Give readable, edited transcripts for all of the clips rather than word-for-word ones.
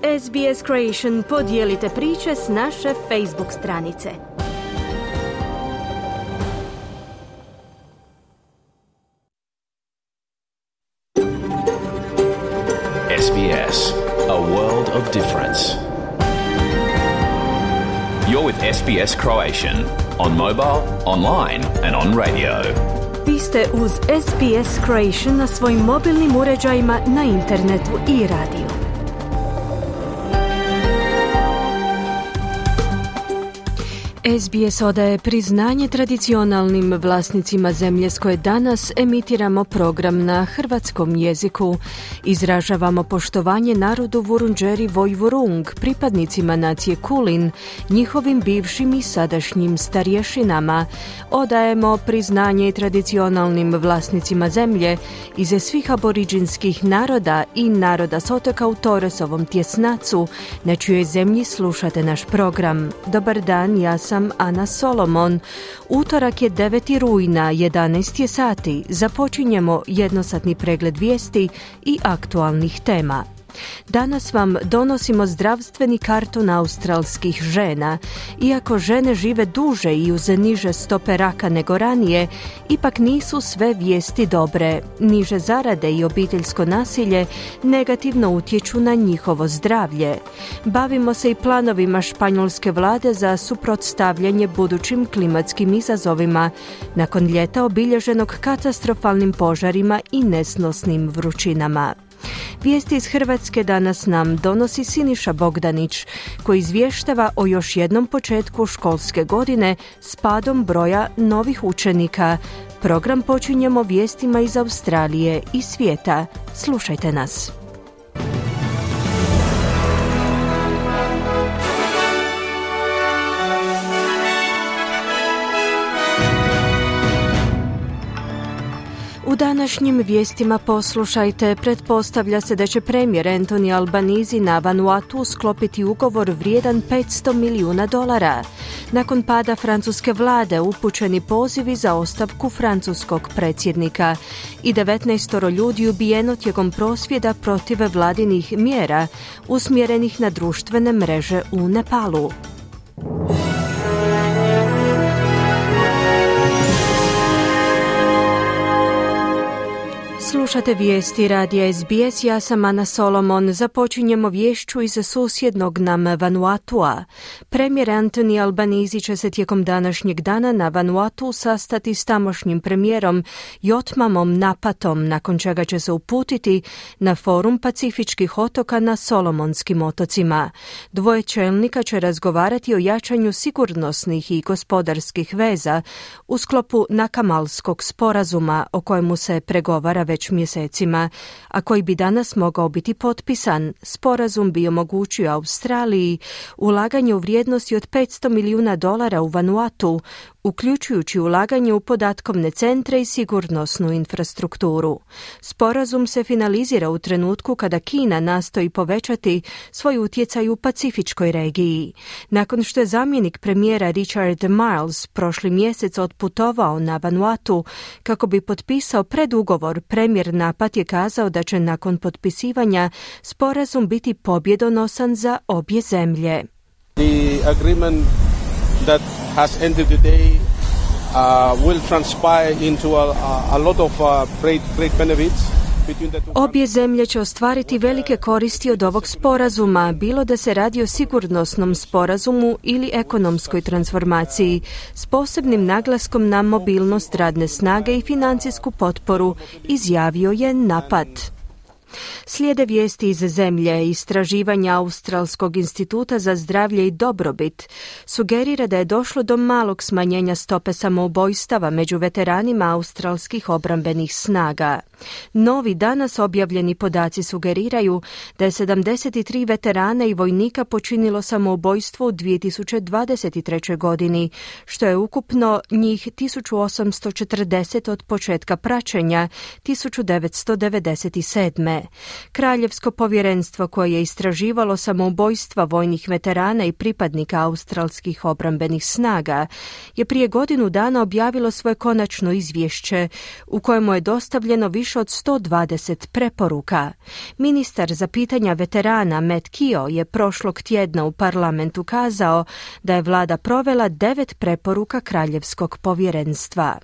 SBS Creation, podijelite priče s naše Facebook stranice. SBS, a world of difference. You're with SBS Croatian on mobile, online and on radio. Vi ste uz SBS Creation na svojim mobilnim uređajima, na internetu i radiju. SBS odaje priznanje tradicionalnim vlasnicima zemlje s koje danas emitiramo program na hrvatskom jeziku. Izražavamo poštovanje narodu Vurundjeri Vojvurung, pripadnicima nacije Kulin, njihovim bivšim i sadašnjim starješinama. Odajemo priznanje tradicionalnim vlasnicima zemlje iz svih aboriđinskih naroda i naroda s otoka u Torresovom tjesnacu, na čijoj zemlji slušate naš program. Dobar dan, ja sam Ana Solomon. Utorak je 9. rujna, 11 je sati. Započinjemo jednosatni pregled vijesti i aktualnih tema. Danas vam donosimo zdravstveni karton australskih žena. Iako žene žive duže i uz niže stope raka nego ranije, ipak nisu sve vijesti dobre. Niže zarade i obiteljsko nasilje negativno utječu na njihovo zdravlje. Bavimo se i planovima španjolske vlade za suprotstavljanje budućim klimatskim izazovima nakon ljeta obilježenog katastrofalnim požarima i nesnosnim vrućinama. Vijesti iz Hrvatske danas nam donosi Siniša Bogdanić, koji izvještava o još jednom početku školske godine s padom broja novih učenika. Program počinjemo vijestima iz Australije i svijeta. Slušajte nas. U današnjim vijestima poslušajte, pretpostavlja se da će premijer Anthony Albanese na Vanuatu sklopiti ugovor vrijedan $500 milijuna. Nakon pada francuske vlade upućeni pozivi za ostavku francuskog predsjednika i 19 ljudi ubijeno tijekom prosvjeda protiv vladinih mjera usmjerenih na društvene mreže u Nepalu. Slušate vijesti radija SBS, ja sam Ana Solomon. Započinjemo vješću iz susjednog nam Vanuatua. Premijer Anthony Albanese će se tijekom današnjeg dana na Vanuatu sastati s tamošnjim premijerom Jotmamom Napatom, nakon čega će se uputiti na forum Pacifičkih otoka na Solomonskim otocima. Dvoje čelnika će razgovarati o jačanju sigurnosnih i gospodarskih veza u sklopu Nakamalskog sporazuma, o kojemu se pregovara već mjesecima, a koji bi danas mogao biti potpisan. Sporazum bi omogućio Australiji ulaganje u vrijednosti od $500 milijuna u Vanuatu, uključujući ulaganje u podatkovne centre i sigurnosnu infrastrukturu. Sporazum se finalizira u trenutku kada Kina nastoji povećati svoj utjecaj u pacifičkoj regiji. Nakon što je zamjenik premijera Richard Marles prošli mjesec otputovao na Vanuatu kako bi potpisao predugovor, premijer Napat je kazao da će nakon potpisivanja sporazum biti pobjedonosan za obje zemlje. The agreement that has ended today will transpire into a lot of great benefits. Obje zemlje će ostvariti velike koristi od ovog sporazuma, bilo da se radi o sigurnosnom sporazumu ili ekonomskoj transformaciji, s posebnim naglaskom na mobilnost radne snage i financijsku potporu, izjavio je Napat. Slijede vijesti iz zemlje. Istraživanja Australskog instituta za zdravlje i dobrobit sugerira da je došlo do malog smanjenja stope samoubojstava među veteranima australskih obrambenih snaga. Novi danas objavljeni podaci sugeriraju da je 73 veterana i vojnika počinilo samoubojstvo u 2023. godini, što je ukupno njih 1840 od početka praćenja 1997. godine. Kraljevsko povjerenstvo koje je istraživalo samoubojstva vojnih veterana i pripadnika australskih obrambenih snaga je prije godinu dana objavilo svoje konačno izvješće u kojemu je dostavljeno više od 120 preporuka. Ministar za pitanja veterana Matt Keogh je prošlog tjedna u parlamentu kazao da je vlada provela 9 preporuka Kraljevskog povjerenstva.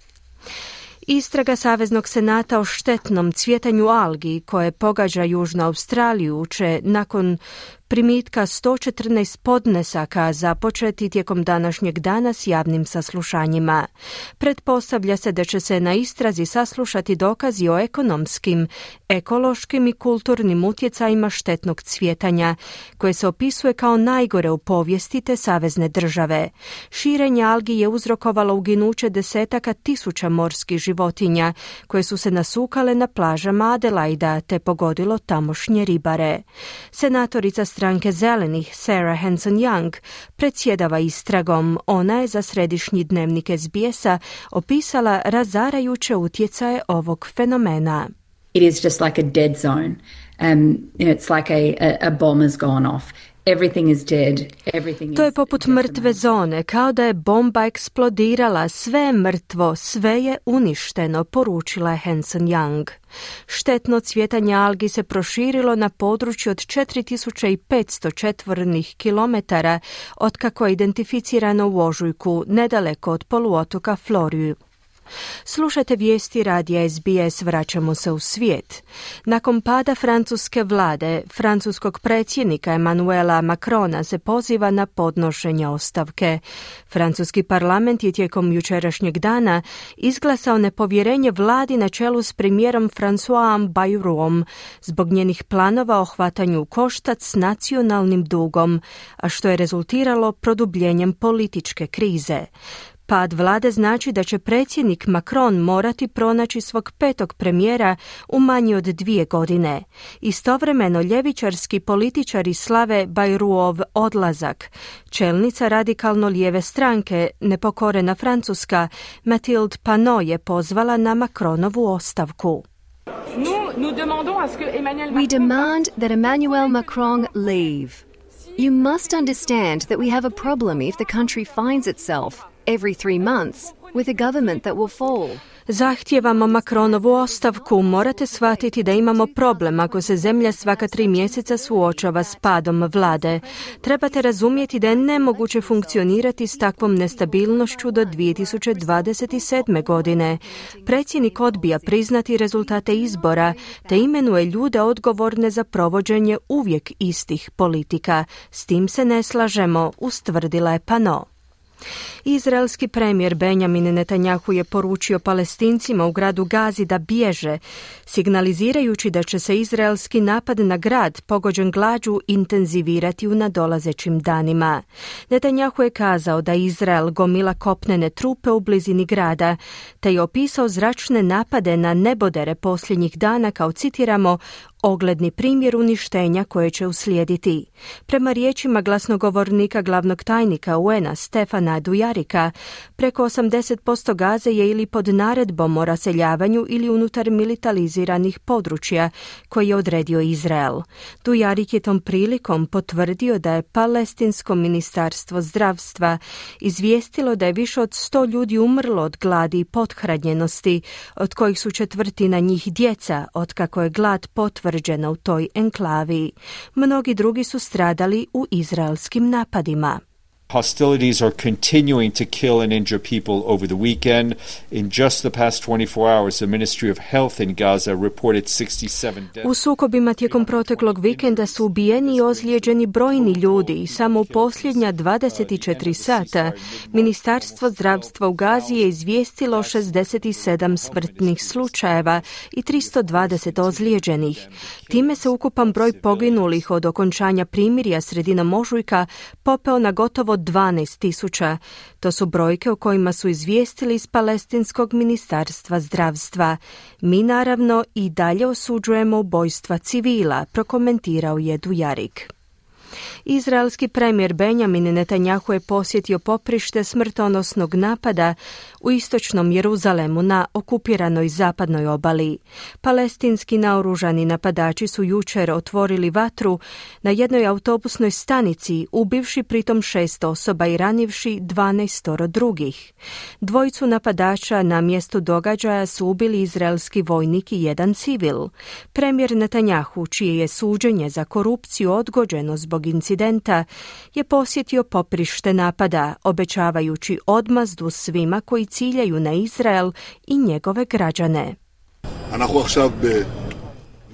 Istraga Saveznog senata o štetnom cvjetanju algi koje pogađa Južnu Australiju će nakon primitka 114 podnesaka započeti tijekom današnjeg dana s javnim saslušanjima. Pretpostavlja se da će se na istrazi saslušati dokazi o ekonomskim, ekološkim i kulturnim utjecajima štetnog cvjetanja, koje se opisuje kao najgore u povijesti te savezne države. Širenje algi je uzrokovalo uginuće desetaka tisuća morskih životinja, koje su se nasukale na plažama Adelaida te pogodilo tamošnje ribare. Senatorica stranke Zelenih Sarah Hanson-Young predsjedava istragom. Ona je za središnji dnevnik SBS-a opisala razarajuće utjecaje ovog fenomena. It is just like a dead zone. It's like a bomb has gone off. Everything is dead. To je poput mrtve zone, kao da je bomba eksplodirala, sve je mrtvo, sve je uništeno, poručila je Hanson-Young. Štetno cvjetanje algi se proširilo na području od 4500 četvornih kilometara otkako je identificirano u ožujku, nedaleko od poluotoka Floriju. Slušajte vijesti radija SBS, vraćamo se u svijet. Nakon pada francuske vlade, francuskog predsjednika Emmanuela Macrona se poziva na podnošenje ostavke. Francuski parlament je tijekom jučerašnjeg dana izglasao nepovjerenje vladi na čelu s premijerom Françoisom Bayrouom zbog njenih planova o hvatanju u koštac s nacionalnim dugom, a što je rezultiralo produbljenjem političke krize. Pad vlade znači da će predsjednik Macron morati pronaći svog petog premijera u manje od 2 godine. Istovremeno ljevičarski političari slave Bayrouov odlazak. Čelnica radikalno lijeve stranke, nepokorena Francuska, Mathilde Panot je pozvala na Macronovu ostavku. We demand that Emmanuel Macron leave. You must understand that we have a problem if the country finds itself every 3 months with a government that will fall. Zahtijevamo Macronovu ostavku. Morate shvatiti da imamo problem ako se zemlja svaka 3 mjeseca suočava s padom vlade. Trebate razumjeti da je nemoguće funkcionirati s takvom nestabilnošću do 2027. godine. Predsjednik odbija priznati rezultate izbora te imenuje ljude odgovorne za provođenje uvijek istih politika. S tim se ne slažemo, ustvrdila je Panot. Izraelski premijer Benjamin Netanjahu je poručio Palestincima u gradu Gazi da bježe, signalizirajući da će se izraelski napad na grad pogođen glađu intenzivirati u nadolazećim danima. Netanjahu je kazao da Izrael gomila kopnene trupe u blizini grada, te je opisao zračne napade na nebodere posljednjih dana kao, citiramo, ogledni primjer uništenja koje će uslijediti. Prema riječima glasnogovornika glavnog tajnika UN-a Stefana Dujarika, preko 80% Gaze je ili pod naredbom o raseljavanju ili unutar militariziranih područja koje je odredio Izrael. Dujarik je tom prilikom potvrdio da je Palestinsko ministarstvo zdravstva izvijestilo da je više od 100 ljudi umrlo od gladi i pothranjenosti, od kojih su 1/4 njih djeca, otkako je glad potvrđena u toj enklavi. Mnogi drugi su stradali u izraelskim napadima. Hostilities are continuing to kill and injure people over the weekend. In just the past 24 hours, the Ministry of Health in Gaza reported 67 deaths. U sukobima tijekom proteklog vikenda su ubijeni i ozlijeđeni brojni ljudi i samo u posljednja 24 sata Ministarstvo zdravstva u Gazi je izvijestilo 67 smrtnih slučajeva i 320 ozlijeđenih. Time se ukupan broj poginulih od okončanja primirja sredinom ožujka popeo na gotovo 12.000. To su brojke o kojima su izvijestili iz Palestinskog ministarstva zdravstva. Mi naravno i dalje osuđujemo ubojstva civila, prokomentirao je Dujarik. Izraelski premijer Benjamin Netanjahu je posjetio poprište smrtonosnog napada u istočnom Jeruzalemu na okupiranoj zapadnoj obali. Palestinski naoružani napadači su jučer otvorili vatru na jednoj autobusnoj stanici, ubivši pritom 6 osoba i ranivši 12 drugih. Dvojicu napadača na mjestu događaja su ubili izraelski vojnik i jedan civil. Premijer Netanjahu, čije je suđenje za korupciju odgođeno zbog incidenta, je posjetio poprište napada, obećavajući odmazdu svima koji ciljaju na Izrael i njegove građane.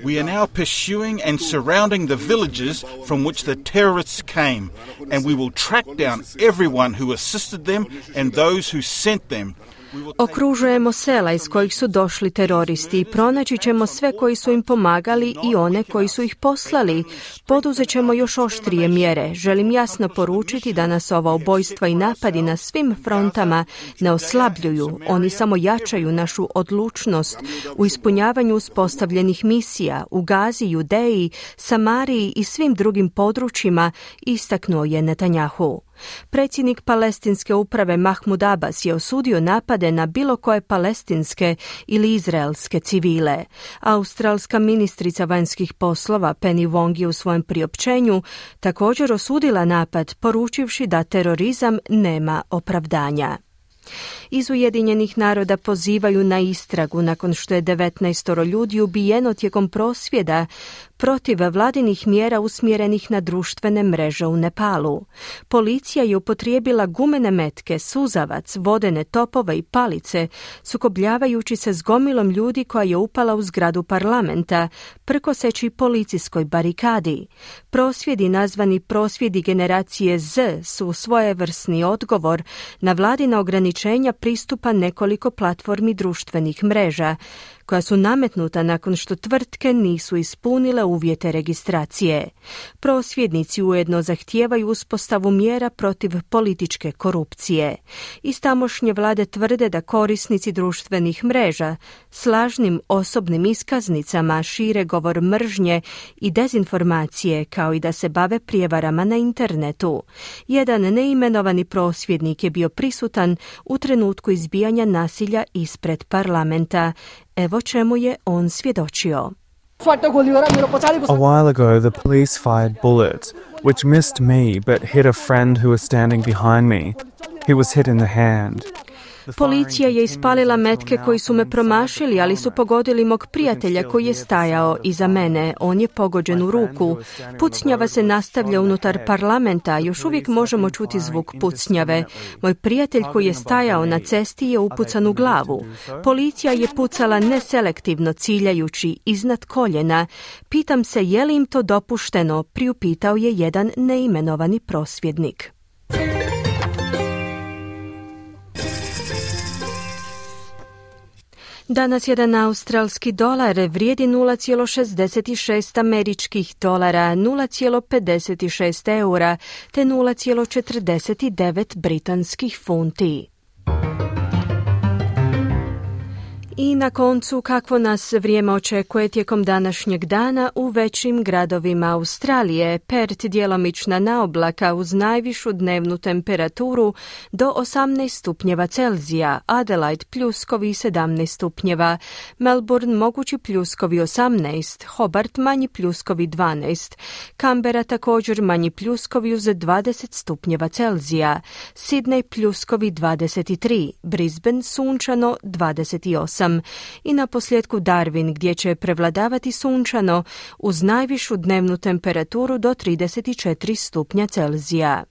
We are now pursuing and surrounding the villages from which the terrorists came, and we will track down everyone who assisted them and those who sent them. Okružujemo sela iz kojih su došli teroristi i pronaći ćemo sve koji su im pomagali i one koji su ih poslali. Poduzet ćemo još oštrije mjere. Želim jasno poručiti da nas ova ubojstva i napadi na svim frontama ne oslabljuju. Oni samo jačaju našu odlučnost u ispunjavanju uspostavljenih misija u Gazi, Judeji, Samariji i svim drugim područjima, istaknuo je Netanjahu. Predsjednik palestinske uprave Mahmud Abbas je osudio napade na bilo koje palestinske ili izraelske civile. Australska ministrica vanjskih poslova Penny Wong je u svojem priopćenju također osudila napad, poručivši da terorizam nema opravdanja. Iz Ujedinjenih naroda pozivaju na istragu nakon što je 19 ljudi ubijeno tijekom prosvjeda protiv vladinih mjera usmjerenih na društvene mreže u Nepalu. Policija je upotrijebila gumene metke, suzavac, vodene topove i palice, sukobljavajući se s gomilom ljudi koja je upala u zgradu parlamenta, prkoseći policijskoj barikadi. Prosvjedi nazvani prosvjedi generacije Z su svojevrsni odgovor na vladina ograničenja pristupa nekoliko platformi društvenih mreža, koja su nametnuta nakon što tvrtke nisu ispunile uvjete registracije. Prosvjednici ujedno zahtijevaju uspostavu mjera protiv političke korupcije. Iz tamošnje vlade tvrde da korisnici društvenih mreža s lažnim osobnim iskaznicama šire govor mržnje i dezinformacije, kao i da se bave prijevarama na internetu. Jedan neimenovani prosvjednik je bio prisutan u trenutku izbijanja nasilja ispred parlamenta. Evo čemu je on svjedočio. A while ago, the police fired bullets, which missed me but hit a friend who was standing behind me. He was hit in the hand. Policija je ispalila metke koji su me promašili, ali su pogodili mog prijatelja koji je stajao iza mene. On je pogođen u ruku. Pucnjava se nastavlja unutar parlamenta. Još uvijek možemo čuti zvuk pucnjave. Moj prijatelj koji je stajao na cesti je upucan u glavu. Policija je pucala neselektivno, ciljajući iznad koljena. Pitam se je li im to dopušteno, priupitao je jedan neimenovani prosvjednik. Danas jedan australski dolar vrijedi 0,66 američkih dolara, 0,56 eura te 0,49 britanskih funti. I na koncu, kakvo nas vrijeme očekuje tijekom današnjeg dana u većim gradovima Australije. Perth djelomična naoblaka uz najvišu dnevnu temperaturu do 18 stupnjeva Celzija, Adelaide pljuskovi 17 stupnjeva, Melbourne mogući pljuskovi 18, Hobart manji pljuskovi 12, Canberra također manji pljuskovi uz 20 stupnjeva Celzija, Sydney pljuskovi 23, Brisbane sunčano 28. I na posljedku Darwin gdje će prevladavati sunčano uz najvišu dnevnu temperaturu do 34 stupnja Celzija.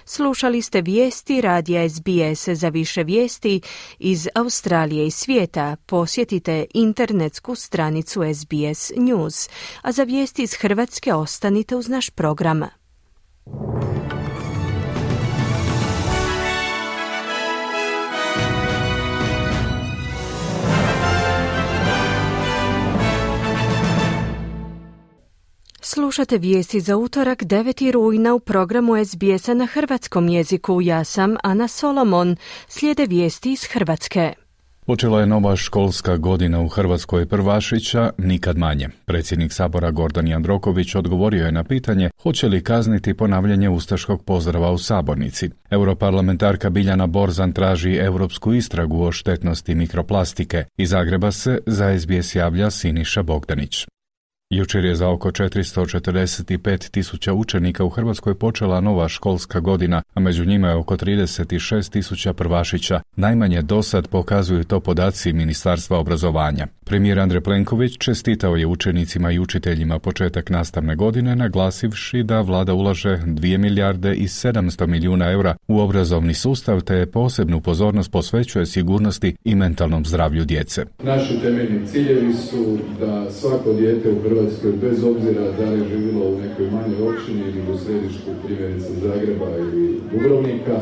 Slušali ste vijesti radija SBS. Za više vijesti iz Australije i svijeta posjetite internetsku stranicu SBS News, a za vijesti iz Hrvatske ostanite uz naš program. Slušate vijesti za utorak 9. rujna u programu SBS-a na hrvatskom jeziku. Ja sam Ana Solomon. Slijede vijesti iz Hrvatske. Počela je nova školska godina u Hrvatskoj prvašića, nikad manje. Predsjednik Sabora Gordan Jandroković odgovorio je na pitanje hoće li kazniti ponavljanje ustaškog pozdrava u sabornici. Europarlamentarka Biljana Borzan traži europsku istragu o štetnosti mikroplastike. Iz Zagreba se za SBS javlja Siniša Bogdanić. Jučer je za oko 445.000 učenika u Hrvatskoj počela nova školska godina, a među njima je oko 36.000 prvašića. Najmanje dosad pokazuju to podaci Ministarstva obrazovanja. Premijer Andrej Plenković čestitao je učenicima i učiteljima početak nastavne godine, naglasivši da vlada ulaže 2 milijarde i 700 milijuna eura u obrazovni sustav, te posebnu pozornost posvećuje sigurnosti i mentalnom zdravlju djece. Naši temeljni ciljevi su da svako dijete u Hrvatskoj, bez obzira da li živjelo u nekoj manjoj općini ili u središtu, primjerice Zagreba ili Dubrovnika,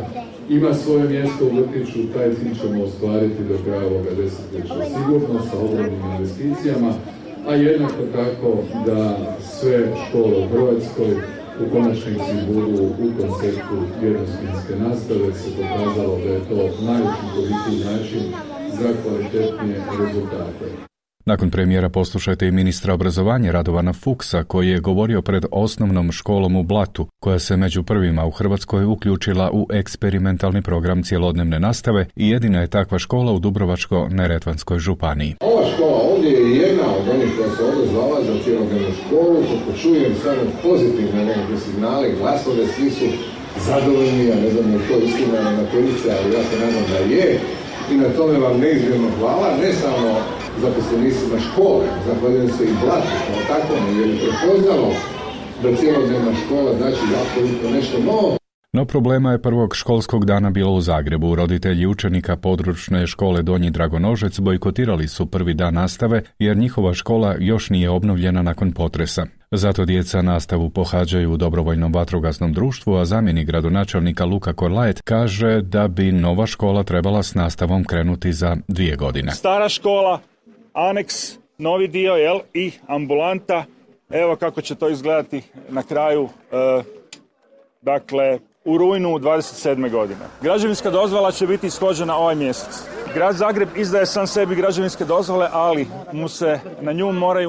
ima svoje mjesto u vrtiću. Taj cilj ćemo ostvariti do kraja ovoga desetljeća sigurno sa ogromnim investicijama, a jednako tako da sve škole u Hrvatskoj u konačnici budu u konceptu jednosmjenske nastave. Se pokazalo da je to najučinkovitiji način za kvalitetnije rezultate. Nakon premijera poslušajte i ministra obrazovanja Radovana Fuchsa, koji je govorio pred osnovnom školom u Blatu, koja se među prvima u Hrvatskoj uključila u eksperimentalni program cjelodnevne nastave i jedina je takva škola u Dubrovačko-neretvanskoj županiji. Ova škola ovdje je jedna od onih koja se ovdje zvala za cjelodnevnu školu. Kako čujem samo pozitivne nekakve signale, glasove, svi su zadovoljni, ja ne znam je to istina na policija, ali ja se nadam da je. I na tome vam neizmjerno hvala, ne samo zaposlenicima škole, zahvaljujem se i Blatu kao takvom, jer je prepoznalo da cjelodnevna škola znači apsolutno nešto novo. No problema je prvog školskog dana bilo u Zagrebu. Roditelji učenika područne škole Donji Dragonožec bojkotirali su prvi dan nastave jer njihova škola još nije obnovljena nakon potresa. Zato djeca nastavu pohađaju u dobrovoljnom vatrogasnom društvu, a zamjenik gradonačelnika Luka Korlajet kaže da bi nova škola trebala s nastavom krenuti za 2 godine. Stara škola, aneks, novi dio, i ambulanta. Evo kako će to izgledati na kraju, u rujnu 27. godine. Građevinska dozvola će biti ishođena ovaj mjesec. Grad Zagreb izdaje sam sebi građevinske dozvole, ali mu se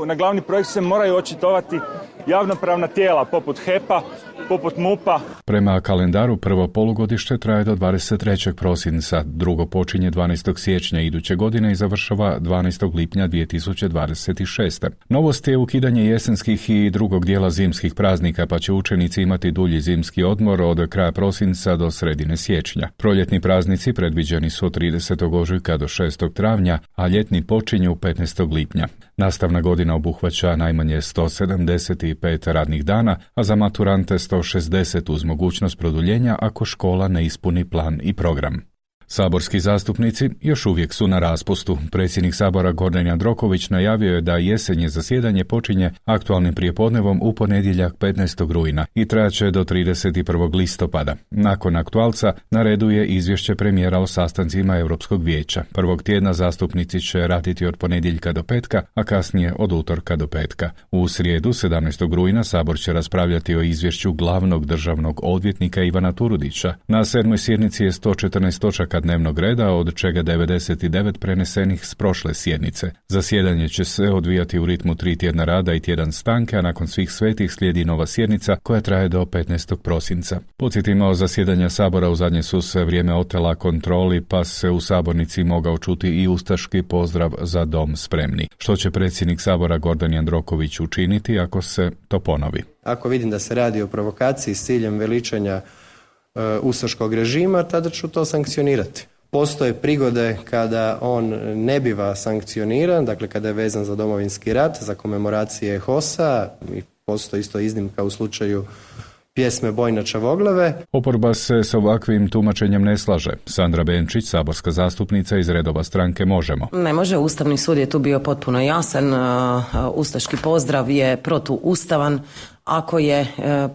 na glavni projekt se moraju očitovati javnopravna tijela poput HEP-a, poput MUP-a. Prema kalendaru prvo polugodište traje do 23. prosinca, drugo počinje 12. siječnja iduće godine i završava 12. lipnja 2026. Novost je ukidanje jesenskih i drugog dijela zimskih praznika, pa će učenici imati dulji zimski odmor od kraja prosinca do sredine siječnja. Proljetni praznici predviđeni su od 30. ožujka do 6. travnja, a ljetni počinju 15. lipnja. Nastavna godina obuhvaća najmanje 175 radnih dana, a za maturante 160 uz mogućnost produljenja ako škola ne ispuni plan i program. Saborski zastupnici još uvijek su na raspustu. Predsjednik Sabora Gordan Jandroković najavio je da jesenje zasjedanje počinje aktualnim prijepodnevom u ponedjeljak 15. rujna i trajaće do 31. listopada. Nakon aktualca na redu je izvješće premijera o sastancima Europskog vijeća. Prvog tjedna zastupnici će raditi od ponedjeljka do petka, a kasnije od utorka do petka. U srijedu 17. rujna Sabor će raspravljati o izvješću glavnog državnog odvjetnika Ivana Turudića. Na 7. sjednici je 114 točaka dnevnog reda, od čega 99 prenesenih s prošle sjednice. Zasjedanje će se odvijati u ritmu 3 tjedna rada i tjedan stanke, a nakon svih svetih slijedi nova sjednica koja traje do 15. prosinca. Podsjetimo, zasjedanja Sabora u zadnje su se vrijeme otela kontroli, pa se u sabornici mogao čuti i ustaški pozdrav Za dom spremni. Što će predsjednik Sabora Gordan Jandroković učiniti ako se to ponovi? Ako vidim da se radi o provokaciji s ciljem veličanja ustaškog režima, tada ću to sankcionirati. Postoje prigode kada on ne biva sankcioniran, dakle kada je vezan za Domovinski rat, za komemoracije HOS-a, i postoji isto iznimka u slučaju pjesme Bojna Čavoglave. Oporba se s ovakvim tumačenjem ne slaže. Sandra Benčić, saborska zastupnica iz redova stranke Možemo. Ne može, Ustavni sud je tu bio potpuno jasan, ustaški pozdrav je protuustavan, ako je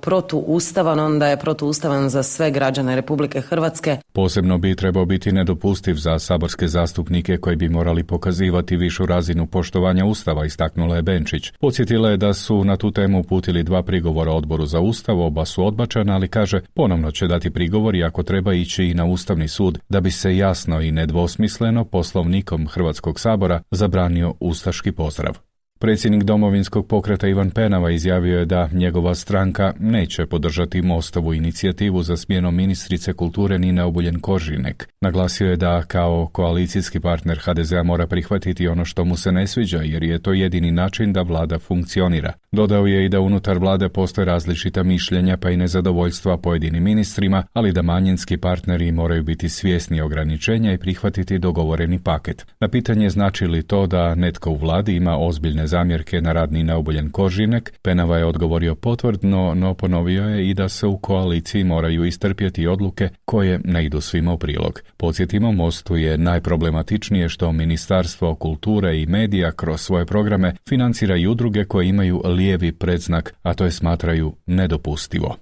protuustavan, onda je protuustavan za sve građane Republike Hrvatske. Posebno bi trebao biti nedopustiv za saborske zastupnike koji bi morali pokazivati višu razinu poštovanja Ustava, istaknula je Benčić. Podsjetila je da su na tu temu uputili 2 prigovora Odboru za Ustav, oba su odbačena, ali kaže ponovno će dati prigovor i ako treba ići i na Ustavni sud da bi se jasno i nedvosmisleno Poslovnikom Hrvatskog sabora zabranio ustaški pozdrav. Predsjednik Domovinskog pokreta Ivan Penava izjavio je da njegova stranka neće podržati Mostovu inicijativu za smjenom ministrice kulture Nine Obuljen-Koržinek. Naglasio je da kao koalicijski partner HDZ-a mora prihvatiti ono što mu se ne sviđa, jer je to jedini način da vlada funkcionira. Dodao je i da unutar vlade postoje različita mišljenja pa i nezadovoljstva pojedinim ministrima, ali da manjinski partneri moraju biti svjesni ograničenja i prihvatiti dogovoreni paket. Na pitanje znači li to da netko u vladi ima ozbiljne zamjerke na rad Nine Obuljen-Koržinek, Penava je odgovorio potvrdno, no ponovio je i da se u koaliciji moraju istrpjeti odluke koje ne idu svima u prilog. Podsjetimo, Mostu je najproblematičnije što Ministarstvo kulture i medija kroz svoje programe financira i udruge koje imaju lijevi predznak, a to je smatraju nedopustivo.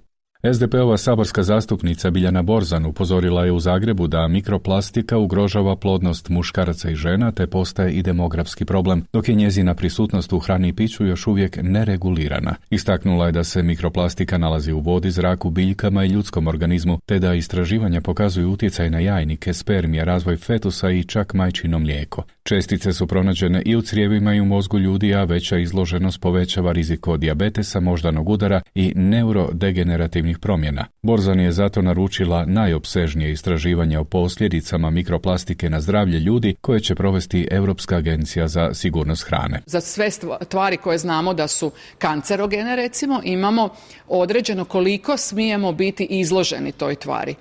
SDP-ova saborska zastupnica Biljana Borzan upozorila je u Zagrebu da mikroplastika ugrožava plodnost muškaraca i žena te postaje i demografski problem, dok je njezina prisutnost u hrani i piću još uvijek neregulirana. Istaknula je da se mikroplastika nalazi u vodi, zraku, biljkama i ljudskom organizmu, te da istraživanja pokazuju utjecaj na jajnike, spermije, razvoj fetusa i čak majčino mlijeko. Čestice su pronađene i u crijevima i u mozgu ljudi, a veća izloženost povećava rizik od dijabetesa, moždanog udara i neurodegenerativnih promjena. Borzan je zato naručila najopsežnije istraživanje o posljedicama mikroplastike na zdravlje ljudi koje će provesti Europska agencija za sigurnost hrane. Za sve tvari koje znamo da su kancerogene, recimo, imamo određeno koliko smijemo biti izloženi toj tvari.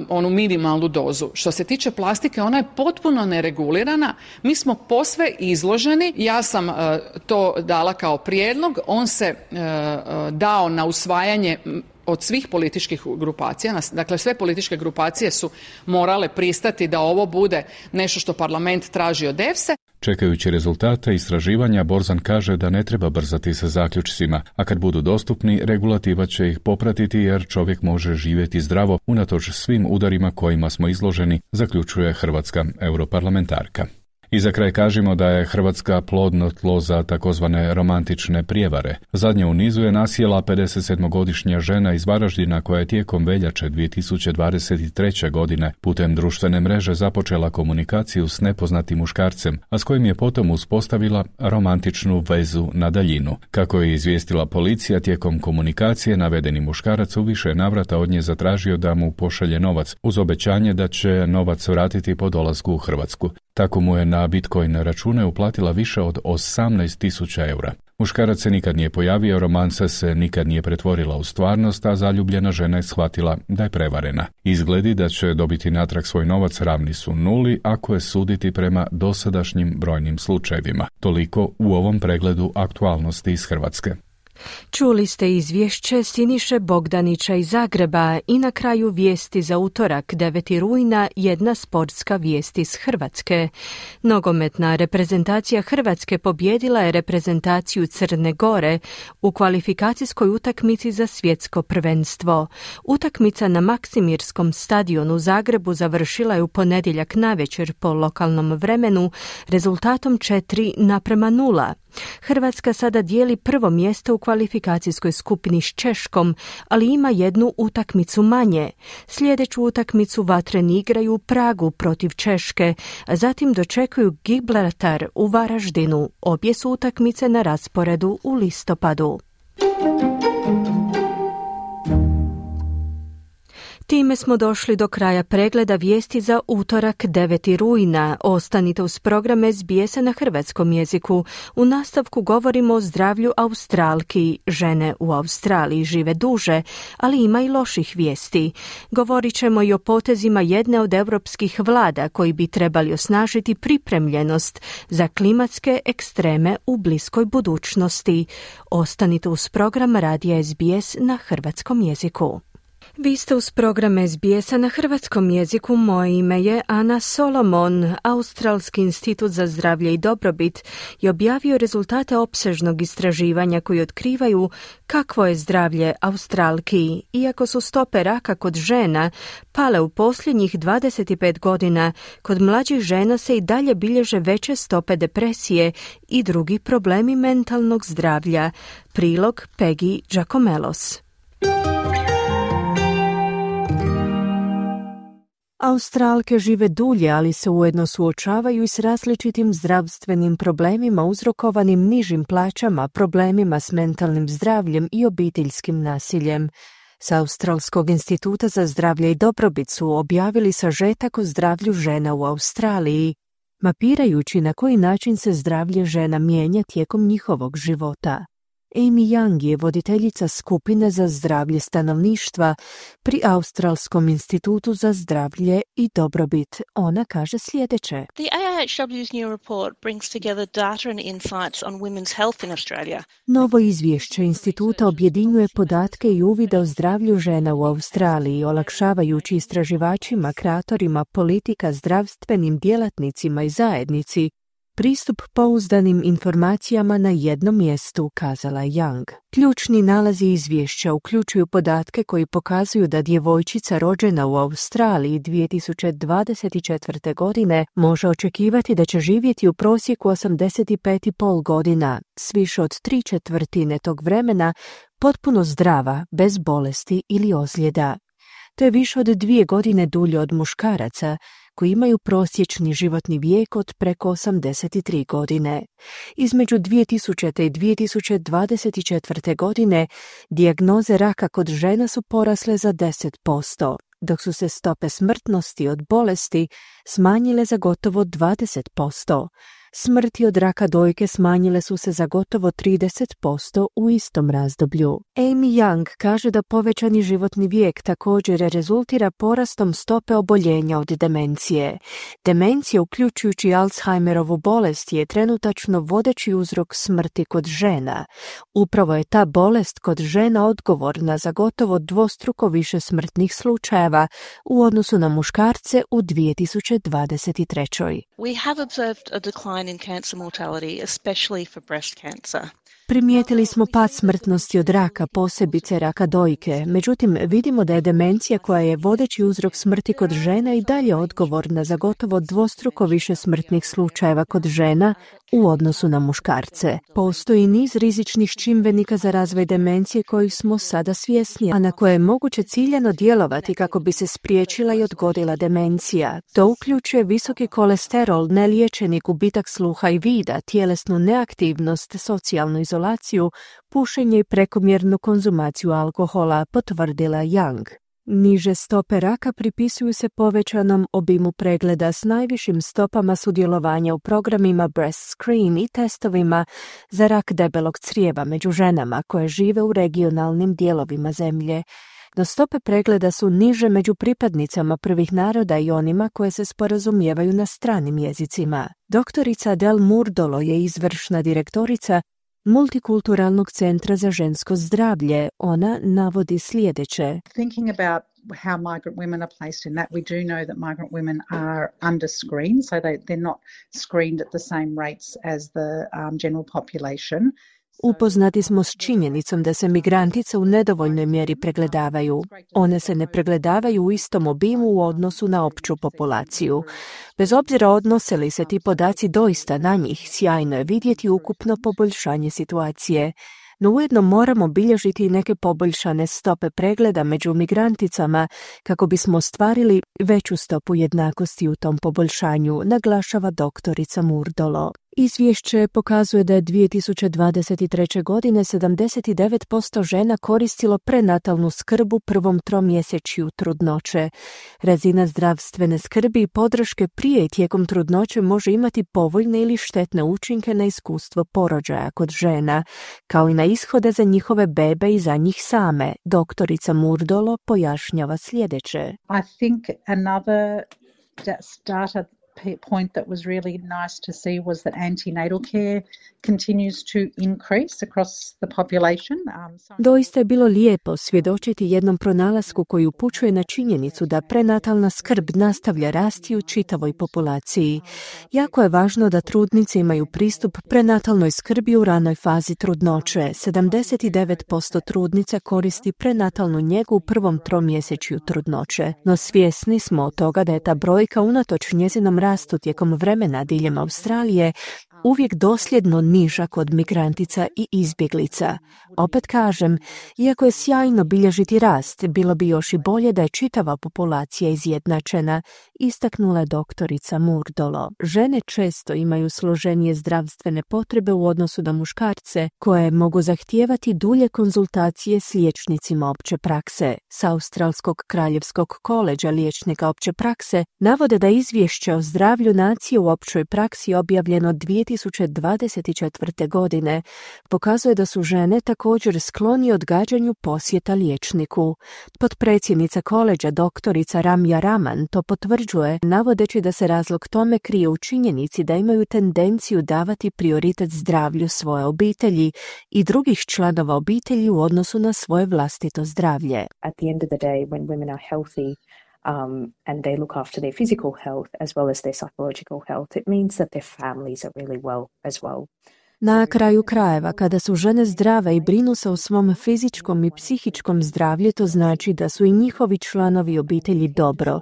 Onu minimalnu dozu. Što se tiče plastike, ona je potpuno neregulirana. Mi smo posve izloženi. Ja sam to dala kao prijedlog. On se dao na usvajanje od svih političkih grupacija. Dakle, sve političke grupacije su morale pristati da ovo bude nešto što parlament traži od EFSE. Čekajući rezultate istraživanja, Borzan kaže da ne treba brzati sa zaključcima, a kad budu dostupni, regulativa će ih popratiti jer čovjek može živjeti zdravo unatoč svim udarima kojima smo izloženi, zaključuje hrvatska europarlamentarka. I za kraj kažemo da je Hrvatska plodno tlo za takozvane romantične prijevare. Zadnja u nizu je nasjela 57-godišnja žena iz Varaždina koja je tijekom veljače 2023. godine putem društvene mreže započela komunikaciju s nepoznatim muškarcem, a s kojim je potom uspostavila romantičnu vezu na daljinu. Kako je izvijestila policija, tijekom komunikacije navedeni muškarac u više navrata od nje zatražio da mu pošalje novac, uz obećanje da će novac vratiti po dolasku u Hrvatsku. Tako mu je na Bitcoin račune uplatila više od 18.000 eura. Muškarac se nikad nije pojavio, romansa se nikad nije pretvorila u stvarnost, a zaljubljena žena je shvatila da je prevarena. Izgledi da će dobiti natrag svoj novac ravni su nuli ako je suditi prema dosadašnjim brojnim slučajevima. Toliko u ovom pregledu aktualnosti iz Hrvatske. Čuli ste izvješće Siniše Bogdanića iz Zagreba i na kraju vijesti za utorak 9. rujna jedna sportska vijest iz Hrvatske. Nogometna reprezentacija Hrvatske pobijedila je reprezentaciju Crne Gore u kvalifikacijskoj utakmici za svjetsko prvenstvo. Utakmica na Maksimirskom stadionu u Zagrebu završila je u ponedjeljak navečer po lokalnom vremenu rezultatom 4:0. Hrvatska sada dijeli prvo mjesto u kvalifikacijskoj skupini s Češkom, ali ima jednu utakmicu manje. Sljedeću utakmicu vatreni igraju u Pragu protiv Češke, a zatim dočekuju Gibraltar u Varaždinu. Obje su utakmice na rasporedu u listopadu. Time smo došli do kraja pregleda vijesti za utorak 9. rujna. Ostanite uz program SBS-a na hrvatskom jeziku. U nastavku govorimo o zdravlju Australki. Žene u Australiji žive duže, ali ima i loših vijesti. Govorit ćemo i o potezima jedne od europskih vlada koji bi trebali osnažiti pripremljenost za klimatske ekstreme u bliskoj budućnosti. Ostanite uz program radija SBS na hrvatskom jeziku. Vi ste uz program SBS-a na hrvatskom jeziku. Moje ime je Ana Solomon. Australski institut za zdravlje i dobrobit je objavio rezultate opsežnog istraživanja koji otkrivaju kakvo je zdravlje Australki. Iako su stope raka kod žena pale u posljednjih 25 godina, kod mlađih žena se i dalje bilježe veće stope depresije i drugi problemi mentalnog zdravlja. Prilog Peggy Giacomelos. Australke žive dulje, ali se ujedno suočavaju i s različitim zdravstvenim problemima uzrokovanim nižim plaćama, problemima s mentalnim zdravljem i obiteljskim nasiljem. S Australskog instituta za zdravlje i dobrobit su objavili sažetak o zdravlju žena u Australiji, mapirajući na koji način se zdravlje žena mijenja tijekom njihovog života. Amy Young je voditeljica skupine za zdravlje stanovništva pri Australskom institutu za zdravlje i dobrobit. Ona kaže sljedeće. The AIHW's new report brings together data and insights on women's health in Australia. Novo izvješće instituta objedinjuje podatke i uvide o zdravlju žena u Australiji, olakšavajući istraživačima, kreatorima politika, zdravstvenim djelatnicima i zajednici pristup pouzdanim informacijama na jednom mjestu, kazala Young. Ključni nalazi izvješća uključuju podatke koji pokazuju da djevojčica rođena u Australiji 2024. godine može očekivati da će živjeti u prosjeku 85,5 godina, s više od 3/4 tog vremena potpuno zdrava, bez bolesti ili ozljeda. To je više od 2 godine dulje od muškaraca, koji imaju prosječni životni vijek od preko 83 godine. Između 2000. i 2024. godine dijagnoze raka kod žena su porasle za 10%, dok su se stope smrtnosti od bolesti smanjile za gotovo 20%. Smrti od raka dojke smanjile su se za gotovo 30% u istom razdoblju. Amy Young kaže da povećani životni vijek također rezultira porastom stope oboljenja od demencije. Demencija, uključujući Alzheimerovu bolest, je trenutačno vodeći uzrok smrti kod žena. Upravo je ta bolest kod žena odgovorna za gotovo dvostruko više smrtnih slučajeva u odnosu na muškarce u 2023. We have observed a decline in cancer mortality, especially for breast cancer. Primijetili smo pad smrtnosti od raka, posebice raka dojke. Međutim, vidimo da je demencija, koja je vodeći uzrok smrti kod žena, i dalje odgovorna za gotovo dvostruko više smrtnih slučajeva kod žena u odnosu na muškarce. Postoji niz rizičnih čimbenika za razvoj demencije kojih smo sada svjesni, a na koje je moguće ciljano djelovati kako bi se spriječila i odgodila demencija. To uključuje visoki kolesterol, neliječeni gubitak sluha i vida, tjelesnu neaktivnost, socijalnu izolaciju, pušenje i prekomjernu konzumaciju alkohola, potvrdila Young. Niže stope raka pripisuju se povećanom obimu pregleda s najvišim stopama sudjelovanja u programima breast screen i testovima za rak debelog crijeva među ženama koje žive u regionalnim dijelovima zemlje. No stope pregleda su niže među pripadnicama prvih naroda i onima koje se sporazumijevaju na stranim jezicima. Doktorica Del Murdolo je izvršna direktorica Multikulturalnog centra za žensko zdravlje. Ona navodi sljedeće. Thinking about how migrant women are placed in that, we do know that migrant women are under-screened, so they're not screened at the same rates as the general population. Upoznati smo s činjenicom da se migrantice u nedovoljnoj mjeri pregledavaju. One se ne pregledavaju u istom obimu u odnosu na opću populaciju. Bez obzira odnose li se ti podaci doista na njih, sjajno je vidjeti ukupno poboljšanje situacije. No ujedno moramo bilježiti i neke poboljšane stope pregleda među migranticama kako bismo ostvarili veću stopu jednakosti u tom poboljšanju, naglašava doktorica Murdolo. Izvješće pokazuje da je 2023. godine 79% žena koristilo prenatalnu skrb u prvom tromjesečju trudnoće. Razina zdravstvene skrbi i podrške prije i tijekom trudnoće može imati povoljne ili štetne učinke na iskustvo porođaja kod žena, kao i na ishode za njihove bebe i za njih same. Doktorica Murdolo pojašnjava sljedeće. I think another data point that was really nice to see was that antenatal care continues to increase across the population. Doista je bilo lijepo svjedočiti jednom pronalasku koji upućuje na činjenicu da prenatalna skrb nastavlja rasti u čitavoj populaciji. Jako je važno da trudnice imaju pristup prenatalnoj skrbi u ranoj fazi trudnoće. 79% trudnica koristi prenatalnu njegu u prvom tromjesečju trudnoće, no svjesni smo od toga da je ta brojka unatoč njezinom rastu tijekom vremena diljem Australije uvijek dosljedno niža kod migrantica i izbjeglica. Opet kažem, iako je sjajno bilježiti rast, bilo bi još i bolje da je čitava populacija izjednačena, istaknula je doktorica Murdolo. Žene često imaju složenije zdravstvene potrebe u odnosu na muškarce, koje mogu zahtijevati dulje konzultacije s liječnicima opće prakse. S Australskog kraljevskog koleđa liječnika opće prakse navode da izvješće o zdravlju nacije u općoj praksi objavljeno 2024. godine pokazuje da su žene također skloni odgađanju posjeta liječniku. Potpredsjednica koleđa doktorica Ramya Raman to potvrđuje, navodeći da se razlog tome krije u činjenici da imaju tendenciju davati prioritet zdravlju svoje obitelji i drugih članova obitelji u odnosu na svoje vlastito zdravlje. At the end of the day, when women are healthy, and they look after their physical health as well as their psychological health, it means that their families are really well as well. Na kraju krajeva, kada su žene zdrave i brinu se o svom fizičkom i psihičkom zdravlju, to znači da su i njihovi članovi obitelji dobro.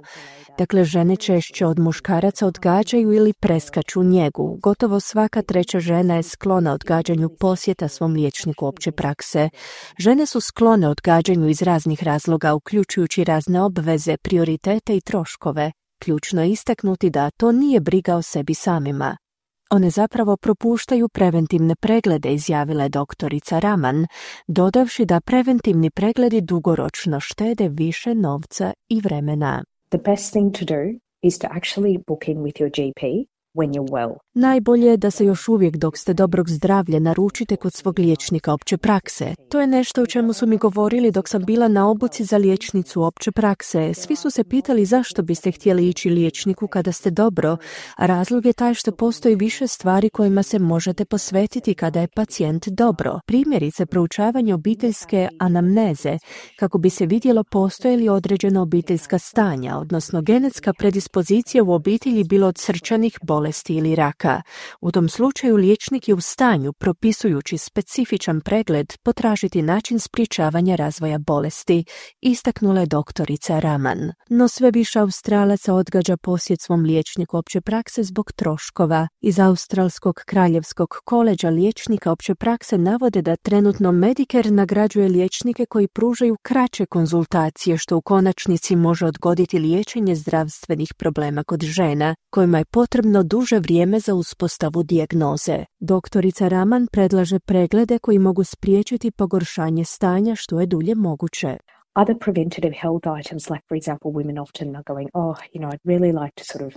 Dakle, žene češće od muškaraca odgađaju ili preskaču njegu. Gotovo svaka treća žena je sklona odgađanju posjeta svom liječniku opće prakse. Žene su sklone odgađanju iz raznih razloga, uključujući razne obveze, prioritete i troškove. Ključno je istaknuti da to nije briga o sebi samima. One zapravo propuštaju preventivne preglede, izjavila je doktorica Raman, dodavši da preventivni pregledi dugoročno štede više novca i vremena. The best thing to do is to actually book in with your GP when you're well. Najbolje je da se još uvijek dok ste dobrog zdravlja naručite kod svog liječnika opće prakse. To je nešto o čemu su mi govorili dok sam bila na obuci za liječnicu opće prakse. Svi su se pitali zašto biste htjeli ići liječniku kada ste dobro, a razlog je taj što postoji više stvari kojima se možete posvetiti kada je pacijent dobro. Primjerice, proučavanje obiteljske anamneze, kako bi se vidjelo postoje li određena obiteljska stanja, odnosno genetska predispozicija u obitelji bilo od srčanih bolesti ili raka. U tom slučaju liječnik je u stanju, propisujući specifičan pregled, potražiti način sprječavanja razvoja bolesti, istaknula je doktorica Raman. No sve više Australaca odgađa posjet svom liječniku opće prakse zbog troškova. Iz Australskog kraljevskog koleđa liječnika opće prakse navode da trenutno Medicare nagrađuje liječnike koji pružaju kraće konzultacije, što u konačnici može odgoditi liječenje zdravstvenih problema kod žena, kojima je potrebno duže vrijeme za uspostavu dijagnoze. Doktorica Raman predlaže preglede koji mogu spriječiti pogoršanje stanja što je dulje moguće. Other preventative health items, like for example, women often are going, I'd really like to sort of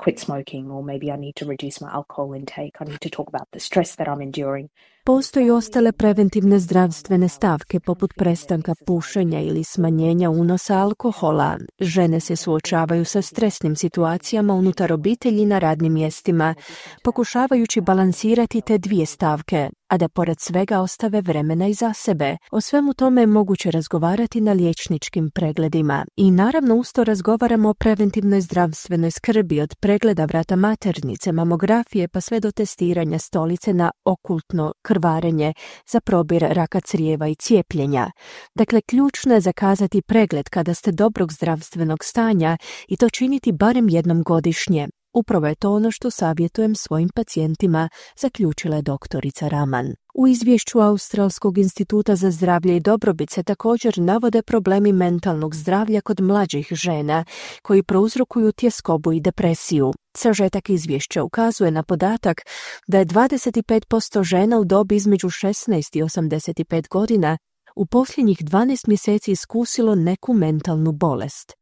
quit smoking, or maybe I need to reduce my alcohol intake. I need to talk about the stress that I'm enduring. Postoji ostale preventivne zdravstvene stavke poput prestanka pušenja ili smanjenja unosa alkohola. Žene se suočavaju sa stresnim situacijama unutar obitelji na radnim mjestima, pokušavajući balansirati te dvije stavke, a da pored svega ostave vremena i za sebe. O svemu tome je moguće razgovarati na liječničkim pregledima. I naravno usto razgovaramo o preventivnoj zdravstvenoj skrbi, od pregleda vrata maternice, mamografije pa sve do testiranja stolice na okultno krvarenje za probir raka crijeva i cijepljenja. Dakle, ključno je zakazati pregled kada ste dobrog zdravstvenog stanja i to činiti barem jednom godišnje. Upravo je to ono što savjetujem svojim pacijentima, zaključila je doktorica Raman. U izvješću Australskog instituta za zdravlje i dobrobit se također navode problemi mentalnog zdravlja kod mlađih žena koji prouzrokuju tjeskobu i depresiju. Sažetak izvješća ukazuje na podatak da je 25% žena u dobi između 16 i 85 godina u posljednjih 12 mjeseci iskusilo neku mentalnu bolest.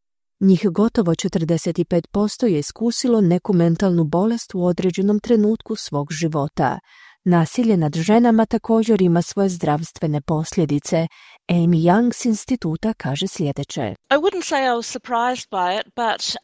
Njih gotovo 45% je iskusilo neku mentalnu bolest u određenom trenutku svog života. Nasilje nad ženama također ima svoje zdravstvene posljedice. Amy Young s instituta kaže sljedeće. I wouldn't say I was surprised by it, but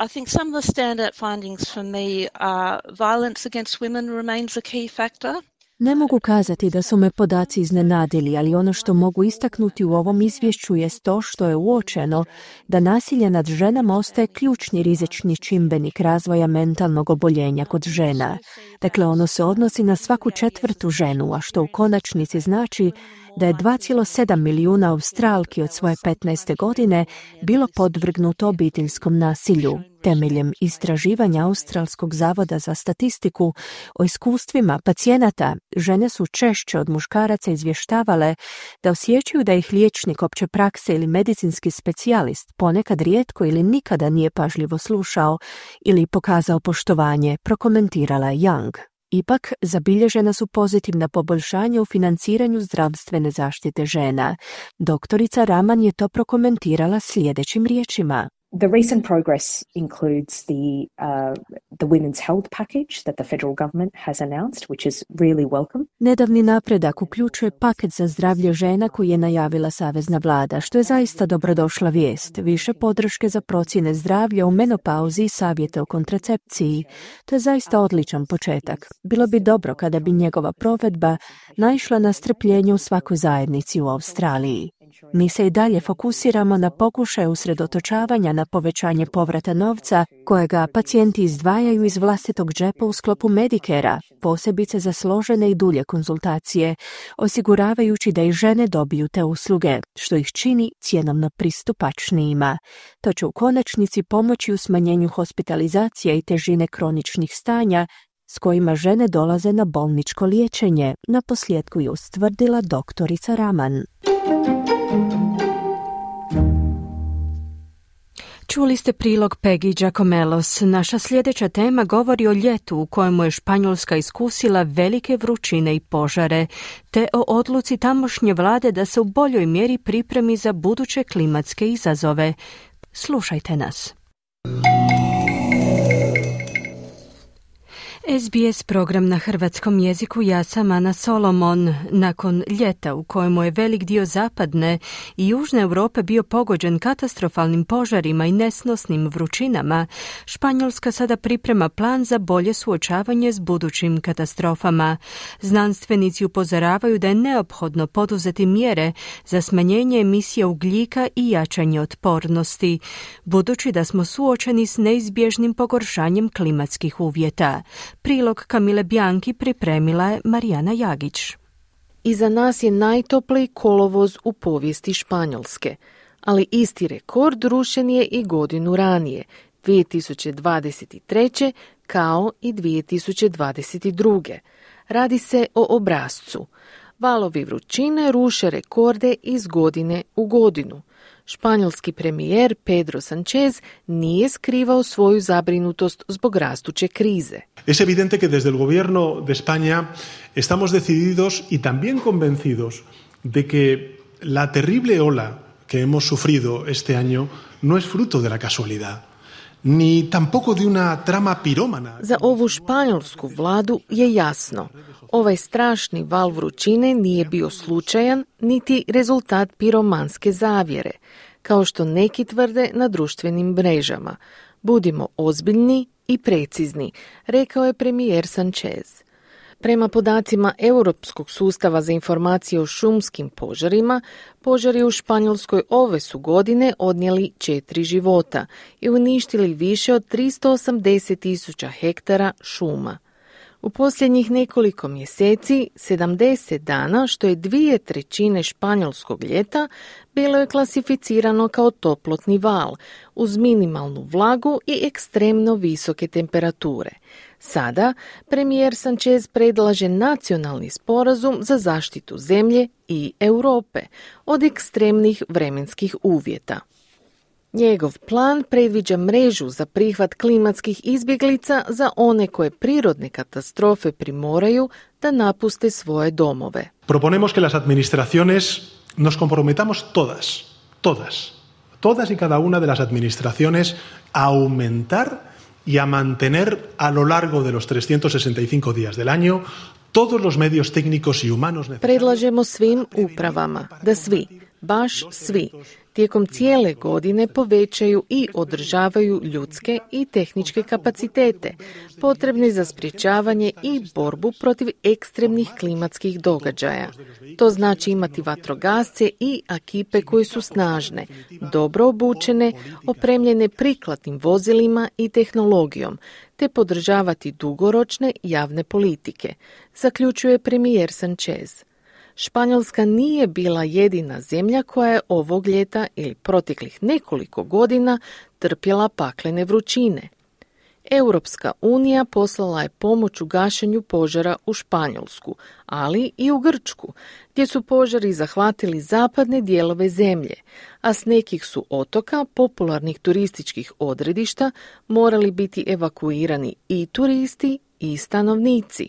I think some of the standout findings for me are violence against women remains a key factor. Ne mogu kazati da su me podaci iznenadili, ali ono što mogu istaknuti u ovom izvješću jest to što je uočeno da nasilje nad ženama ostaje ključni rizični čimbenik razvoja mentalnog oboljenja kod žena. Dakle, ono se odnosi na svaku 4. ženu, a što u konačnici znači da je 2,7 milijuna Australki od svoje 15. godine bilo podvrgnuto obiteljskom nasilju. Temeljem istraživanja Australskog zavoda za statistiku o iskustvima pacijenata, žene su češće od muškaraca izvještavale da osjećaju da ih liječnik opće prakse ili medicinski specijalist ponekad rijetko ili nikada nije pažljivo slušao ili pokazao poštovanje, prokomentirala je Young. Ipak, zabilježena su pozitivna poboljšanja u financiranju zdravstvene zaštite žena. Doktorica Raman je to prokomentirala sljedećim riječima. The recent progress includes the women's health package that the federal government has announced, which is really welcome. Nedavni napredak uključuje paket za zdravlje žena koji je najavila savezna vlada, što je zaista dobrodošla vijest. Više podrške za procjene zdravlja u menopauzi i savjete o kontracepciji. To je zaista odličan početak. Bilo bi dobro kada bi njegova provedba naišla na strpljenje u svakoj zajednici u Australiji. Mi se i dalje fokusiramo na pokušaj usredotočavanja na povećanje povrata novca kojega pacijenti izdvajaju iz vlastitog džepa u sklopu Medicare-a, posebice za složene i dulje konzultacije, osiguravajući da i žene dobiju te usluge, što ih čini cjenovno pristupačnijima. To će u konačnici pomoći u smanjenju hospitalizacije i težine kroničnih stanja s kojima žene dolaze na bolničko liječenje, naposljetku je ustvrdila doktorica Raman. Čuli ste prilog Peggy Giacomelos. Naša sljedeća tema govori o ljetu u kojemu je Španjolska iskusila velike vrućine i požare, te o odluci tamošnje vlade da se u boljoj mjeri pripremi za buduće klimatske izazove. Slušajte nas. SBS program na hrvatskom jeziku, ja sam Ana Solomon. Nakon ljeta u kojemu je velik dio zapadne i južne Europe bio pogođen katastrofalnim požarima i nesnosnim vrućinama, Španjolska sada priprema plan za bolje suočavanje s budućim katastrofama. Znanstvenici upozoravaju da je neophodno poduzeti mjere za smanjenje emisije ugljika i jačanje otpornosti, budući da smo suočeni s neizbježnim pogoršanjem klimatskih uvjeta. Prilog Kamile Bjanki pripremila je Marijana Jagić. Iza nas je najtopliji kolovoz u povijesti Španjolske, ali isti rekord rušen je i godinu ranije, 2023. kao i 2022. Radi se o obrascu. Valovi vrućine ruše rekorde iz godine u godinu. Španjolski premijer Pedro Sánchez nije skrivao svoju zabrinutost zbog rastuće krize. Es evidente que desde el gobierno de España estamos decididos y también convencidos de que la terrible ola que hemos sufrido este año no es fruto de la casualidad. Ni tampoco de una trama pirómana. Za ovu španjolsku vladu je jasno. Ovaj strašni val vrućine nije bio slučajan niti rezultat piromanske zavjere, kao što neki tvrde na društvenim mrežama. Budimo ozbiljni i precizni, rekao je premijer Sánchez. Prema podacima Europskog sustava za informacije o šumskim požarima, požari u Španjolskoj ove su godine odnijeli 4 života i uništili više od 380.000 hektara šuma. U posljednjih nekoliko mjeseci, 70 dana, što je 2/3 španjolskog ljeta, bilo je klasificirano kao toplotni val, uz minimalnu vlagu i ekstremno visoke temperature. Sada premijer Sánchez predlaže nacionalni sporazum za zaštitu zemlje i Europe od ekstremnih vremenskih uvjeta. Njegov plan predviđa mrežu za prihvat klimatskih izbjeglica za one koje prirodne katastrofe primoraju da napuste svoje domove. Proponemos que las administraciones nos comprometamos todas y cada una de las administraciones a aumentar y a mantener a lo largo de los 365 días del año todos los medios técnicos y humanos necesarios. Predlažemo svim upravama da svi, baš svi, tijekom cijele godine povećaju i održavaju ljudske i tehničke kapacitete potrebne za sprječavanje i borbu protiv ekstremnih klimatskih događaja. To znači imati vatrogasce i ekipe koje su snažne, dobro obučene, opremljene prikladnim vozilima i tehnologijom, te podržavati dugoročne javne politike, zaključuje premijer Sanchez. Španjolska nije bila jedina zemlja koja je ovog ljeta ili proteklih nekoliko godina trpjela paklene vrućine. Europska unija poslala je pomoć u gašenju požara u Španjolsku, ali i u Grčku, gdje su požari zahvatili zapadne dijelove zemlje, a s nekih su otoka, popularnih turističkih odredišta, morali biti evakuirani i turisti i stanovnici.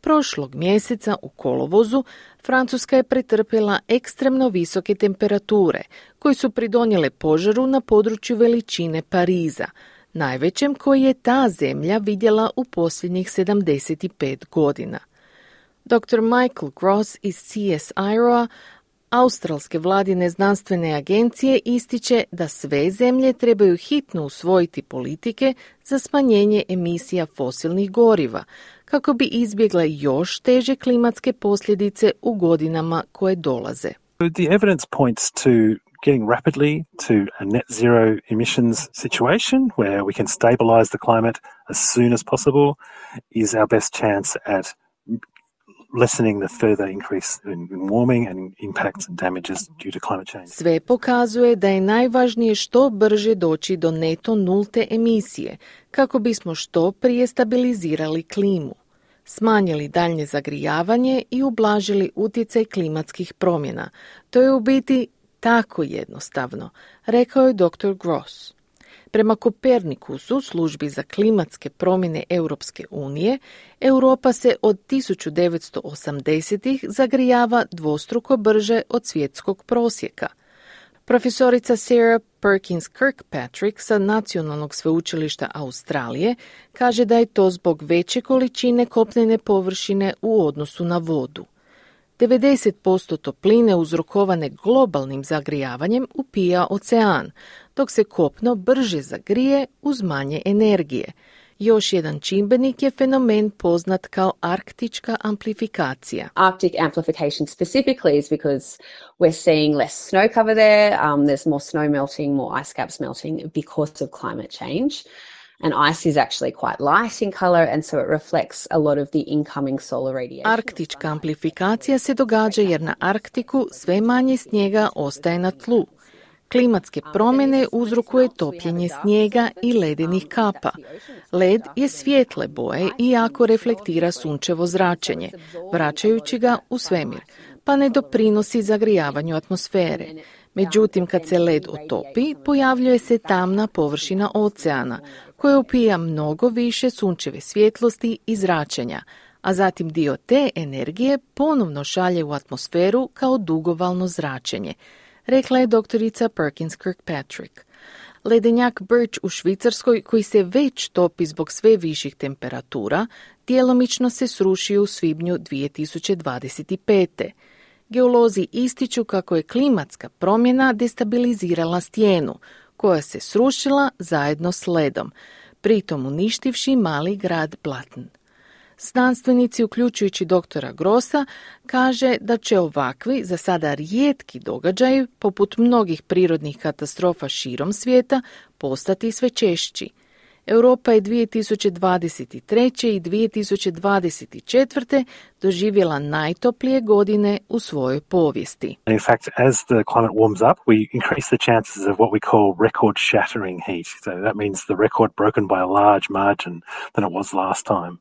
Prošlog mjeseca u kolovozu Francuska je pretrpjela ekstremno visoke temperature koje su pridonijele požaru na području veličine Pariza, najvećem koji je ta zemlja vidjela u posljednjih 75 godina. Dr. Michael Gross iz CSIRO-a, australske vladine znanstvene agencije, ističe da sve zemlje trebaju hitno usvojiti politike za smanjenje emisija fosilnih goriva, kako bi izbjegle još teže klimatske posljedice u godinama koje dolaze. The evidence points to getting rapidly to a net zero emissions situation where we can stabilize the climate as soon as possible is our best chance at lessening the further increase in warming and impacts and damages due to climate change. Sve pokazuje da je najvažnije što brže doći do neto nulte emisije, kako bismo što prije stabilizirali klimu, smanjili daljnje zagrijavanje i ublažili utjecaj klimatskih promjena. To je u biti tako jednostavno, rekao je dr. Gross. Prema Kopernikusu, službi za klimatske promjene Europske unije, Europa se od 1980-ih zagrijava dvostruko brže od svjetskog prosjeka. Profesorica Sarah Perkins Kirkpatrick sa Nacionalnog sveučilišta Australije kaže da je to zbog veće količine kopnene površine u odnosu na vodu. 90% topline uzrokovane globalnim zagrijavanjem upija ocean, dok se kopno brže zagrije uz manje energije. Još jedan čimbenik je fenomen poznat kao arktička amplifikacija. Arctic amplification specifically is because we're seeing less snow cover there, there's more snow melting, more ice caps melting because of climate change. And ice is actually quite light in color and so it reflects a lot of the incoming solar radiation. Arktička amplifikacija se događa jer na Arktiku sve manje snijega ostaje na tlu. Klimatske promjene uzrokuje topljenje snijega i ledenih kapa. Led je svijetle boje i jako reflektira sunčevo zračenje, vraćajući ga u svemir, pa ne doprinosi zagrijavanju atmosfere. Međutim, kad se led otopi, pojavljuje se tamna površina oceana, koja upija mnogo više sunčeve svjetlosti i zračenja, a zatim dio te energije ponovno šalje u atmosferu kao dugovalno zračenje, rekla je doktorica Perkins Kirkpatrick. Ledenjak Birch u Švicarskoj, koji se već topi zbog sve viših temperatura, djelomično se srušio u svibnju 2025. Geolozi ističu kako je klimatska promjena destabilizirala stijenu, koja se srušila zajedno s ledom, pritom uništivši mali grad Blatn. Znanstvenici, uključujući doktora Grossa, kaže da će ovakvi, za sada rijetki događaji, poput mnogih prirodnih katastrofa širom svijeta, postati sve češći. Europa je 2023. i 2024. doživjela najtoplije godine u svojoj povijesti. In fact, as the climate warms up, we increase the chances of what we call record shattering heat. So that means the record broken by a large margin than it was last time.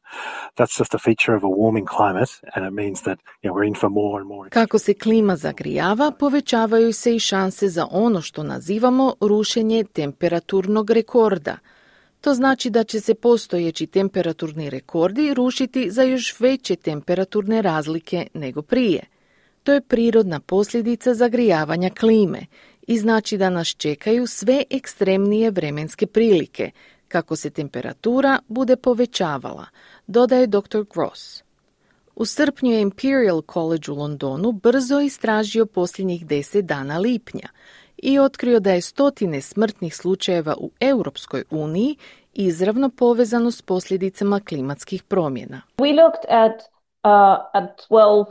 That's just a feature of a warming climate and it means that we're in for more and more. Kako se klima zagrijava, povećavaju se i šanse za ono što nazivamo rušenje temperaturnog rekorda. To znači da će se postojeći temperaturni rekordi rušiti za još veće temperaturne razlike nego prije. To je prirodna posljedica zagrijavanja klime i znači da nas čekaju sve ekstremnije vremenske prilike, kako se temperatura bude povećavala, dodaje dr. Gross. U srpnju je Imperial College u Londonu brzo istražio posljednjih 10 dana lipnja i otkrio da je 100 smrtnih slučajeva u Europskoj uniji izravno povezano s posljedicama klimatskih promjena. We looked at 12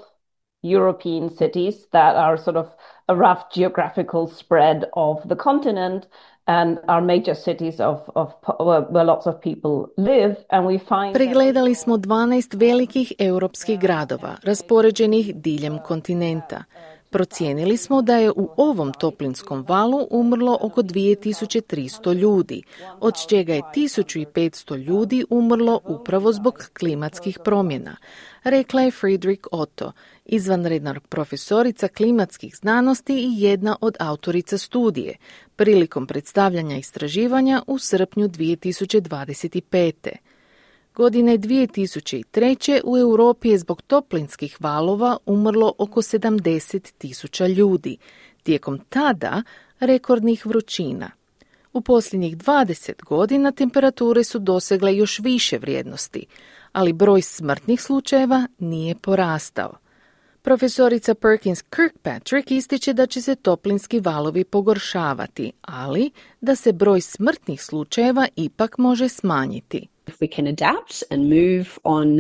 European cities that are sort of a rough geographical spread of the continent and are major cities where lots of people live, and we find. Pregledali smo 12 velikih europskih gradova raspoređenih diljem kontinenta. Procijenili smo da je u ovom toplinskom valu umrlo oko 2300 ljudi, od čega je 1500 ljudi umrlo upravo zbog klimatskih promjena, rekla je Friederike Otto, izvanredna profesorica klimatskih znanosti i jedna od autorica studije, prilikom predstavljanja istraživanja u srpnju 2025. Godine 2003. u Europi je zbog toplinskih valova umrlo oko 70.000 ljudi, tijekom tada rekordnih vrućina. U posljednjih 20 godina temperature su dosegle još više vrijednosti, ali broj smrtnih slučajeva nije porastao. Profesorica Perkins Kirkpatrick ističe da će se toplinski valovi pogoršavati, ali da se broj smrtnih slučajeva ipak može smanjiti. If we can adapt and move on,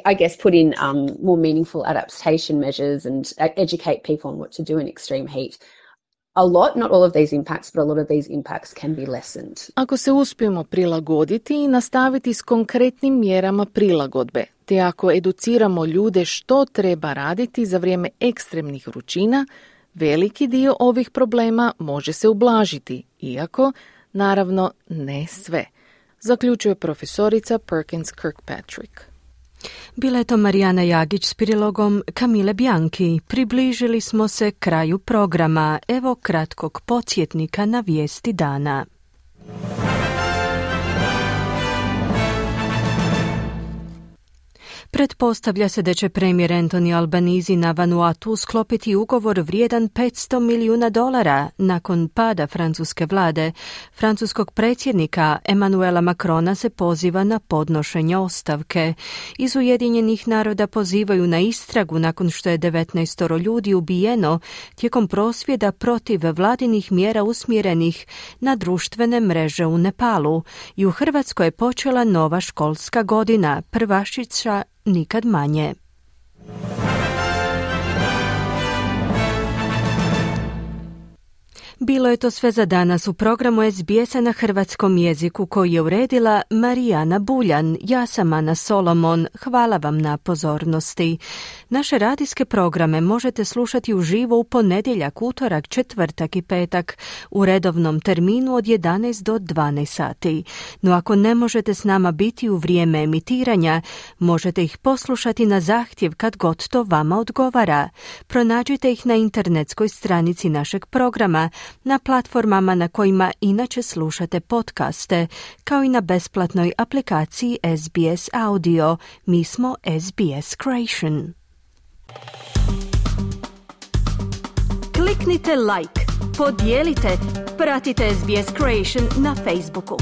I guess put in more meaningful adaptation measures and educate people on what to do in extreme heat. Not all of these impacts, but a lot of these impacts can be lessened. Ako se uspijemo prilagoditi i nastaviti s konkretnim mjerama prilagodbe, te ako educiramo ljude što treba raditi za vrijeme ekstremnih vrućina, veliki dio ovih problema može se ublažiti, iako naravno ne sve, zaključuje profesorica Perkins Kirkpatrick. Bila je to Marijana Jagić s prilogom Kamile Bianchi. Približili smo se kraju programa. Evo kratkog podsjetnika na vijesti dana. Pretpostavlja se da će premijer Anthony Albanese na Vanuatu sklopiti ugovor vrijedan $500 milijuna nakon pada francuske vlade. Francuskog predsjednika Emmanuela Macrona se poziva na podnošenje ostavke. Iz Ujedinjenih naroda pozivaju na istragu nakon što je 19 ljudi ubijeno tijekom prosvjeda protiv vladinih mjera usmjerenih na društvene mreže u Nepalu. I u Hrvatskoj je počela nova školska godina, prvašića nikad manje. Bilo je to sve za danas u programu SBS-a na hrvatskom jeziku koji je uredila Marijana Buljan. Ja sam Ana Solomon. Hvala vam na pozornosti. Naše radijske programe možete slušati uživo u ponedjeljak, utorak, četvrtak i petak u redovnom terminu od 11 do 12 sati. No ako ne možete s nama biti u vrijeme emitiranja, možete ih poslušati na zahtjev kad god to vama odgovara. Pronađite ih na internetskoj stranici našeg programa, na platformama na kojima inače slušate podcaste, kao i na besplatnoj aplikaciji SBS Audio. Mi smo SBS Creation. Kliknite like, podijelite, pratite SBS Creation na Facebooku.